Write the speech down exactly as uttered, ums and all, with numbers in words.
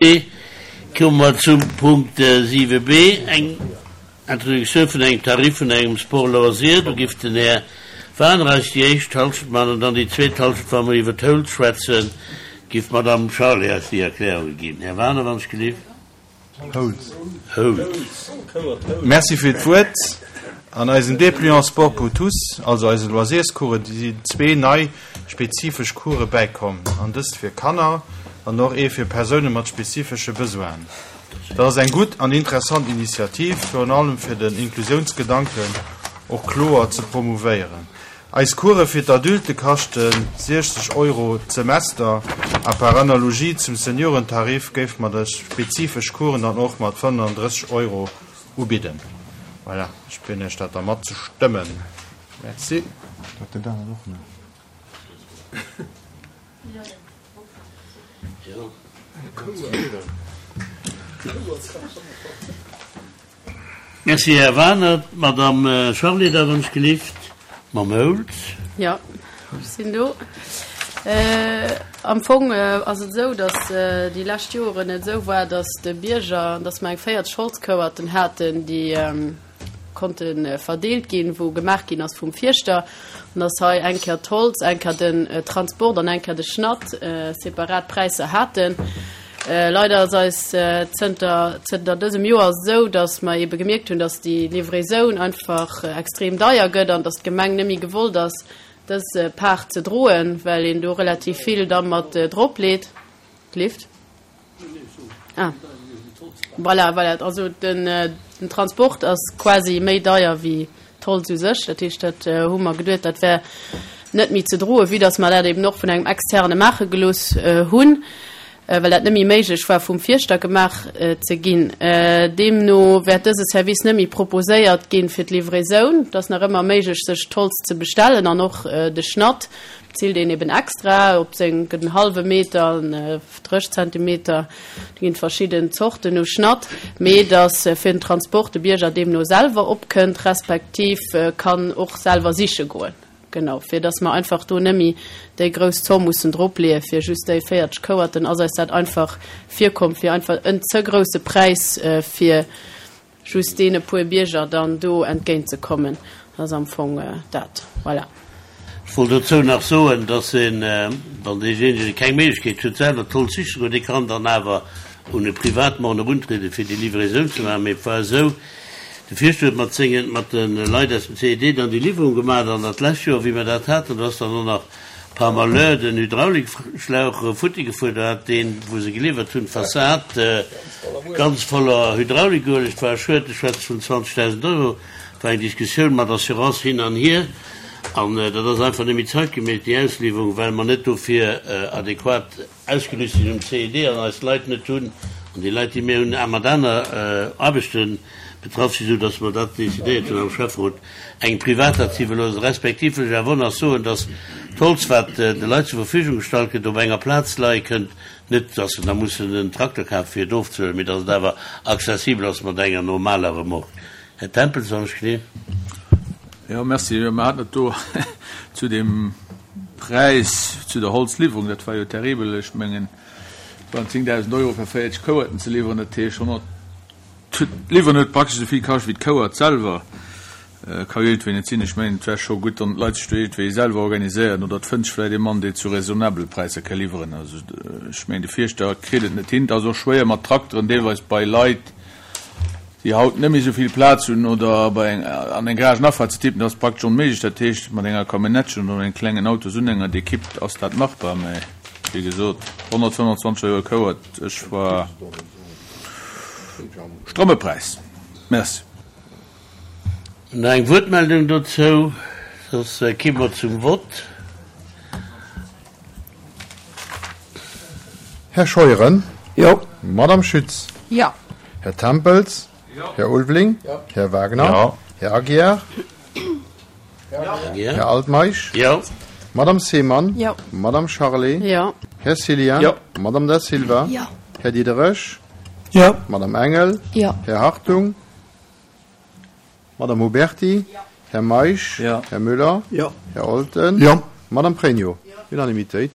Komme mer zum Punkt siwe b, eng Introduktioun vun engem Tarif vun engem Sport loisir. Do giff den Här Wagner eis déi éischt Halschent maachen an dann déi zweet Halschent, wa mer iwwer d'Holz schwätzen, giff d'Madame Charlé eis déi Erklärunge ginn. Här Wagner, wann ech gelift. Holz. Holz. Merci fir d'Wuert. An eisen Dépliant Sport pour tous, also eise Loisirscoursen, sinn zwee nei spezifesch Course bäikomm. An dëst fir Kanner an och ee fir Persoune mat spezifesche Besoinen. Dat ass eng gutt an interessant Initiativ, virun allem fir den Inklusiounsgedanken och kloer ze promouvéieren. Eis Course fir d'Adulte kaschte siechzeg Euro d'Semester a par analogie zum Seniorentarif géife mer dës spezifesch Coursen dann och mat fënnefandrësseg Euro ubidden. Voilà, ech bidden Iech dat da mat ze stëmmen. Merci. Dat den Daniel och net. Merci, Här Wagner. D'Madame Charlé da wann ech gelift mam Holz. Jo, ech sinn do. Am Fong ass et esou, datt déi lescht Joren et esou war, datt de Bierger, datt mer eng véierzeg Holzkouerten haten, déi konnte verdeelt ginn, wou gemaach ginn ass vum Fierschter, an datt hei eng Kéier d'Holz, eng Kéier den Transport an eng Kéier de Schnatt separat Präisser haten. Leider ass eis zënter zënter dësem Joer esou, datt mer ebe gemierkt hunn, datt déi Livraisoun einfach extrem deier gëtt an datt d'Gemeng net méi gewollt ass, dës Part ze droen, well een do relativ vill da mat drop leet. Lift? Ah. Voilà, voilà. Also den, den Transport ass quasi méi deier wéi d'Holz u sech. Dat heescht, dat hu mer geduet, dat wär net méi ze droen, vue dass mer dat eben och vun engem Externe maache gelooss hunn, well dat net méi méiglech war vum Fierschter gemaach ze ginn. Deemno wäert dëse Service net méi proposéiert ginn fir d'Livraisoun. Et ass nach ëmmer méiglech, sech d'Holz ze bestellen an och de Schnatt bezilt een eben extra op seng, gëtt en hallwe Meter, dréch Zentimeter, do ginn et verschidden Zorten u Schnatt, mee dass fir den Transport de Bierger deemno selwer opkënnt, respektiv kann och selwer siche goen. Genau, fir dass mer einfach do net méi déi grouss Zomm mussen dropleeë fir just déi véierzeg Kouerten, ass eis dat einfach virkomm fir einfach en ze grousse Präis fir just deene puer Bierger dann do entgéintzekommen. Dat ass am Fong dat. Voilà. Ech wollt dozou nach soen, dass een, wann deejéinegen keng Méiglechkeet huet, selwer d'Holz siche ze goen, dee kann dann awer un e Privatmann eruntrieden, fir déi Livraisoun ze maachen. Mee et war esou, de Fierschter huet mat sengen, mat de Leit aus dem C E D dann déi Liwwerung gemaach. An dat lescht Joer, wéi mer dat haten, do ass dann och nach par malheur den Hydraulikschlauch futti gefuer. Do hat deen, wou se geliwwert hunn, d'Fassad ganz voller Hydraulikueleg. Et war e Schued, ech schwätze vun zwanzegdausend Euro. Et war eng Diskussioun mat Assurance hin an hier. An dat ass einfach net méi zeitgemäss, déi Ausliwwerung, well mer net dofir adequat ausgerüst sinn um C E D an eis Leit net hunn, an déi Leit, déi mir hunn, mat aner Aarbechte betraff sinn, esou dass mer dat decidéiert hunn am Schäfferot, engem Privater ze iwwerloossen, respektiv wëll ech awer och nach soen, dass d'Holz, wat de Leit zur Verfügung gestallt gëtt, op enger Plaz leie kënnt, net dass se da mussen en Trakter kafen, fir et ofzehuelen, mee dass et awer accessibel ass mat enger normaler Remorque. Här Tempels, wann ech gleef. Jo, merci. Mer haten et do zu deem Präis, zu der Holzliwwerung, dat war jo terribel. Ech mengen, et waren zéngdausend Euro fir véierzeg Kouerten ze liwweren. Dat heescht, honnert, d'Liwweren huet praktesch esou vill kascht wéi d'Kouert selwer. Ka jo iergendwéi net sinn. Ech mengen, et wär scho gutt, wann d'Leit sech do iergendwéi selwer organiséieren oder et fënnt sech vläicht ee Mann, dee zu raisonnabele Präisser ka liwweren. Also, ech mengen, de Fierschter kritt et net hin. Et ass och schwéier mat Trakteren deelweis bei Leit, déi haut net méi esou vill Plaz hunn oder bei eng an eng Garagenafahrt ze tippen, dat ass praktesch onméiglech. Dat heescht, mat enger Camionnettchen oder engem klengen Autosunhänger, dee kippt, ass dat machbar. Mä wéi gesot, honnertfënnwandzwanzeg Euro e Kouert, ech war stramme Präis. Merci. Nach eng Wuertmeldung dozou, soss ki mer zum Vott. Här Scheuren? Jo. Madame Schütz? Jo. Här Tempels? Jo. Här Ulveling? Jo. Här Wagner? Jo. Här Aguiar? Jo. Här Altmeisch? Jo. Madame Seemann? Jo. Madame Charlé? Jo. Här Cillien? Jo. Madame Da Silva? Jo. Här Diderich? Jo. Madame Engel? Jo. Här Hartung? Madame Huberti? Jo. Här Meisch? Jo. Här Müller? Jo. Här Olten? Jo. Madame Pregno? Unanimitéit.